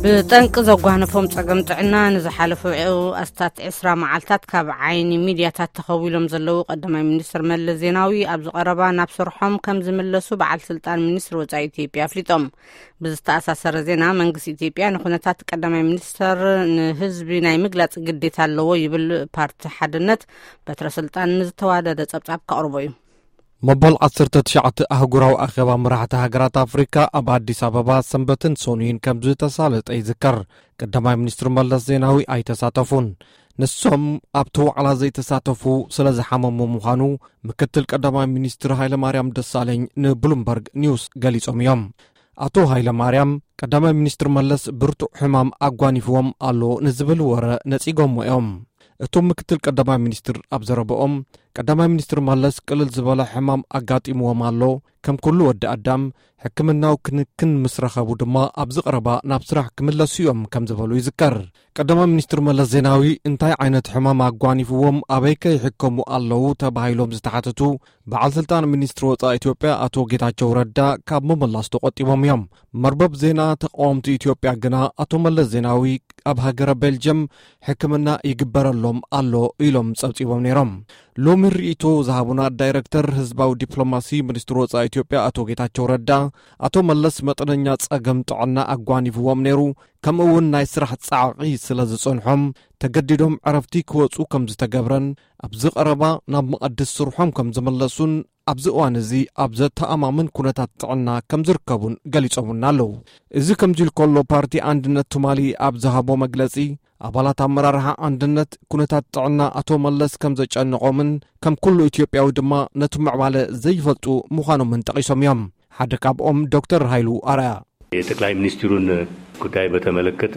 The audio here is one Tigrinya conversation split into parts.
ብጠንቂ ዘጓነፎም ጸገም ጥዕና ንዝሓለፉ ኣስታት ዕስራ መዓልታት ካብ ዓይኒ ሚድያታት ተኸዊሎም ዘለዉ ቀዳማይ ሚኒስትር መለስ ዜናዊ፣ ኣብዚ ቀረባ ናብ ስርሖም ከም ዝምለሱ በዓል ስልጣን ሚኒስትሪ ወጻኢ ኢትዮጵያ ኣፍሊጦም። ብዝተኣሳሰረ ዜና፣ መንግስቲ ኢትዮጵያ ንኩነታት ቀዳማይ ሚኒስተር ንህዝቢ ናይ ምግላጽ ግዴታ ኣለዎ ይብል። ፓርቲ ሓድነት በትረ ስልጣን ንዝተዋደደ ጸብጻብ ከቕርቦ እዩ። መበል ዓሰርተ ትሽዓተ ኣህጉራዊ ኣኼባ መራሕቲ ሃገራት ኣፍሪካ ኣብ ኣዲስ ኣበባ ሰንበትን ሰኑይን ከም ዝተሳለጠ ይዝከር። ቀዳማይ ሚኒስትር መለስ ዜናዊ ኣይተሳተፉን። ንሶም ኣብቲ ዋዕላ ዘይተሳተፉ ስለ ዝሓመሙ ምዃኑ ምክትል ቀዳማይ ሚኒስትር ሃይለማርያም ደሳለኝ ንብሉምበርግ ኒውስ ገሊጾም እዮም። ኣቶ ሃይለማርያም፣ ቀዳማይ ሚኒስትር መለስ ብርቱዕ ሕማም ኣጓኒፍዎም ኣሎ ንዝብል ወረ ነጺጎሞ እዮም። እቶም ምክትል ቀዳማይ ሚኒስትር ኣብ ዘረበኦም፣ ቀዳማይ ሚኒስትር መለስ ቅልል ዝበለ ሕማም ኣጋጢምዎም ኣሎ፣ ከም ኩሉ ወዲ ኣዳም ሕክምናዊ ክንክን ምስ ረኸቡ ድማ ኣብዚ ቀረባ ናብ ስራሕ ክምለሱ እዮም ከም ዝበሉ ይዝከር። ቀዳማይ ሚኒስትር መለስ ዜናዊ እንታይ ዓይነት ሕማም ኣጓኒፍዎም፣ ኣበይ ከ ይሕከሙ ኣለዉ ተባሂሎም ዝተሓተቱ በዓል ስልጣን ሚኒስትሪ ወጻኢ ኢትዮጵያ ኣቶ ጌታቸው ረዳ ካብ ምምላስ ተቆጢቦም እዮም። መርበብ ዜና ተቃወምቲ ኢትዮጵያ ግና ኣቶ መለስ ዜናዊ ኣብ ሃገረ ቤልጅየም ሕክምና ይግበረሎም ኣሎ ኢሎም ጸብጺቦም ነይሮም። ሎሚ ርእይቶ ዝሃቡና ዳይረክተር ህዝባዊ ዲፕሎማሲ ሚኒስትሪ ወጻኢ ኢትዮጵያ ኣቶ ጌታቸው ረዳ፣ ኣቶ መለስ መጠነኛ ጸገም ጥዕና ኣጓኒፍዎም ነይሩ፣ ከምኡ እውን ናይ ስራሕ ጻዕቒ ስለ ዝጸንሖም ተገዲዶም ዕረፍቲ ክወጹ ከም ዝተገብረን ኣብዚ ቀረባ ናብ መቐድስ ስርሖም ከም ዝመለሱን ኣብዚ እዋን እዚ ኣብ ዘተኣማምን ኩነታት ጥዕና ከም ዝርከቡን ገሊጾምና ኣለዉ። እዚ ከምዚ ኢሉ ከሎ፣ ፓርቲ ኣንድነት ትማሊ ኣብ ዝሃቦ መግለጺ፣ ኣባላት ኣመራርሓ ኣንድነት ኩነታት ጥዕና ኣቶ መለስ ከም ዘጨነቖምን ከም ኩሉ ኢትዮጵያዊ ድማ ነቲ ምዕባለ ዘይፈልጡ ምዃኖምን ጠቒሶም እዮም። ሓደ ካብኦም ዶክተር ሃይሉ ኣርኣያ። የጠቅላይ ሚኒስትሩን ጉዳይ በተመለከተ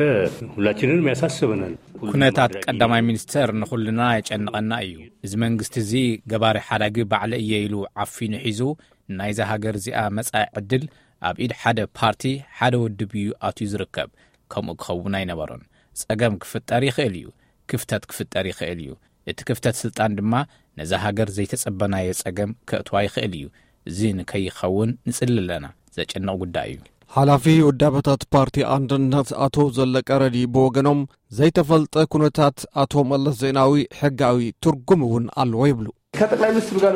ሁላችንንም ያሳስበናል። ኩነታት ቀዳማይ ሚኒስተር ንኹልና የጨንቐና እዩ። እዚ መንግስቲ እዚ ገባሪ ሓዳጊ ባዕለ እየ ኢሉ ዓፊኑ ሒዙ ናይዛ ሃገር እዚኣ መጻኢ ዕድል ኣብ ኢድ ሓደ ፓርቲ፣ ሓደ ውድብ እዩ ኣትዩ ዝርከብ። ከምኡ ክኸውን ኣይነበሮን። ጸገም ክፍጠር ይኽእል እዩ፣ ክፍተት ክፍጠር ይኽእል እዩ። እቲ ክፍተት ስልጣን ድማ ነዛ ሃገር ዘይተጸበናዮ ጸገም ከእትዋ ይኽእል እዩ። እዚ ንከይኸውን ንጽሊ ኣለና። ዘጨንቕ ጉዳይ እዩ። ሓላፊ ውዳበታት ፓርቲ ኣንድነት ኣቶ ዘለቀ ረዲ ብወገኖም፣ ዘይተፈልጠ ኩነታት ኣቶ መለስ ዜናዊ ሕጋዊ ትርጉም እውን ኣለዎ ይብሉ። ከጠቅላይ ሚኒስትሩ ጋር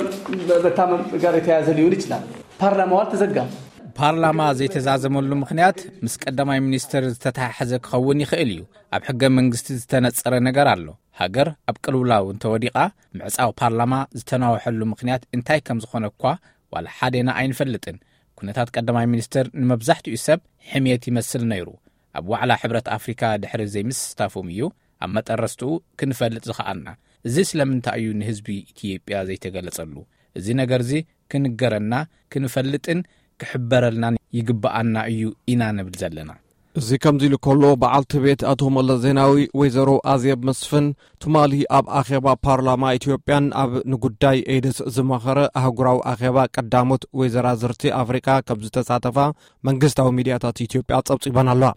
መታመም ጋር የተያያዘ ሊሆን ይችላል። ፓርላማው አልተዘጋም። ፓርላማ ዘይተዛዘመሉ ምኽንያት ምስ ቀዳማይ ሚኒስትር ዝተተሓሓዘ ክኸውን ይኽእል እዩ። ኣብ ሕገ መንግስቲ ዝተነጸረ ነገር ኣሎ። ሃገር ኣብ ቅልውላው እንተወዲቓ፣ ምዕጻው ፓርላማ ዝተናወሐሉ ምኽንያት እንታይ ከም ዝኾነ እኳ ዋላ ሓዴና ኣይንፈልጥን። ኩነታት ቀዳማይ ሚኒስትር ንመብዛሕትኡ ሰብ ሕምየት ይመስል ነይሩ። ኣብ ዋዕላ ሕብረት ኣፍሪካ ድሕሪ ዘይምስታፎም እዩ ኣብ መጠረስትኡ ክንፈልጥ ዝኸኣልና። እዚ ስለምንታይ እዩ ንህዝቢ ኢትዮጵያ ዘይተገለጸሉ? እዚ ነገር እዚ ክንገረና፣ ክንፈልጥን ክሕበረልናን ይግብኣና እዩ ኢና ንብል ዘለና። እዚ ከምዚ ኢሉ ከሎ፣ በዓልቲ ቤት ኣቶ መለስ ዜናዊ ወይዘሮ ኣዜብ መስፍን ትማሊ ኣብ ኣኼባ ፓርላማ ኢትዮጵያን ኣብ ንጉዳይ ኤድስ ዝመኸረ ኣህጉራዊ ኣኼባ ቀዳሞት ወይዘራዝርቲ ኣፍሪቃ ከም ዝተሳተፋ መንግስታዊ ሚድያታት ኢትዮጵያ ጸብጺበን ኣለዋ።